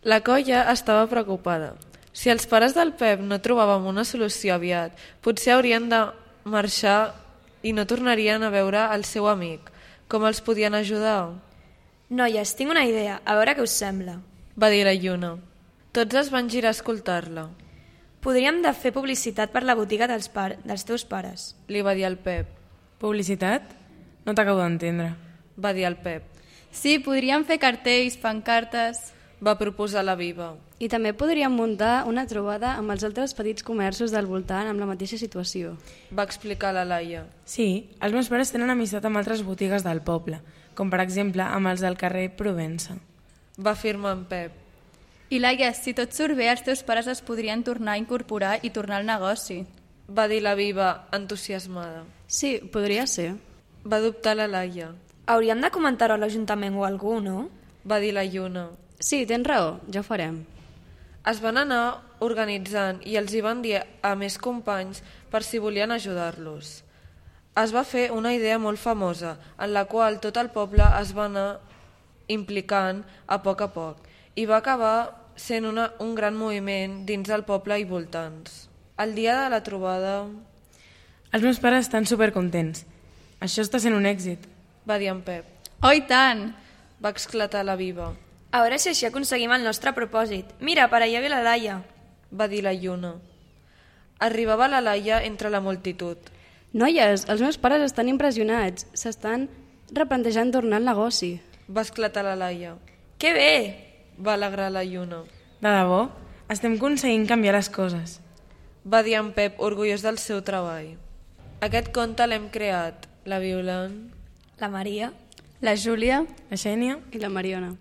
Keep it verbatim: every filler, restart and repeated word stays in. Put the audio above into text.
La colla estava preocupada. Si els pares del Pep no trobàvem una solució aviat, potser haurien de marxar i no tornarien a veure el seu amic. Com els podien ajudar? Noies, tinc una idea, a veure què us sembla. Va dir la Lluna. Tots es van girar a escoltar-la. Podríem de fer publicitat per la botiga dels, par dels teus pares. Li va dir el Pep. Publicitat? No t'acabo d'entendre. Va dir el Pep. Sí, podríem fer cartells, pancartes... Va proposar la Viva. I també podríem muntar una trobada amb els altres petits comerços del voltant amb la mateixa situació. Va explicar la Laia. Sí, els meus pares tenen amistat amb altres botigues del poble, com per exemple amb els del carrer Provença. Va afirmar en Pep. I Laia, si tot surt bé, els teus pares es podrien tornar a incorporar i tornar al negoci. Va dir la Viva, entusiasmada. Sí, podria ser. Va dubtar la Laia. Hauríem de comentar-ho a l'Ajuntament o a algú, no? Va dir la Lluna. Sí, tens raó, ja ho farem. Es van anar organitzant i els hi van dir a més companys per si volien ajudar-los. Es va fer una idea molt famosa, en la qual tot el poble es va anar implicant a poc a poc i va acabar sent una, un gran moviment dins del poble i voltants. El dia de la trobada... Els meus pares estan supercontents. Això està sent un èxit. Va dir en Pep. Oh, i tant! Va exclatar la Viva. A veure si així aconseguim el nostre propòsit. Mira, per allà ve la Laia. Va dir la Lluna. Arribava la Laia entre la multitud. Noies, els meus pares estan impressionats. S'estan replantejant tornar al negoci. Va esclatar la Laia. Que bé! Va alegrar la Lluna. De debò? Estem aconseguint canviar les coses. Va dir en Pep, orgullós del seu treball. Aquest conte l'hem creat la Violant, La Maria, La Júlia... La Xènia? I la Mariona.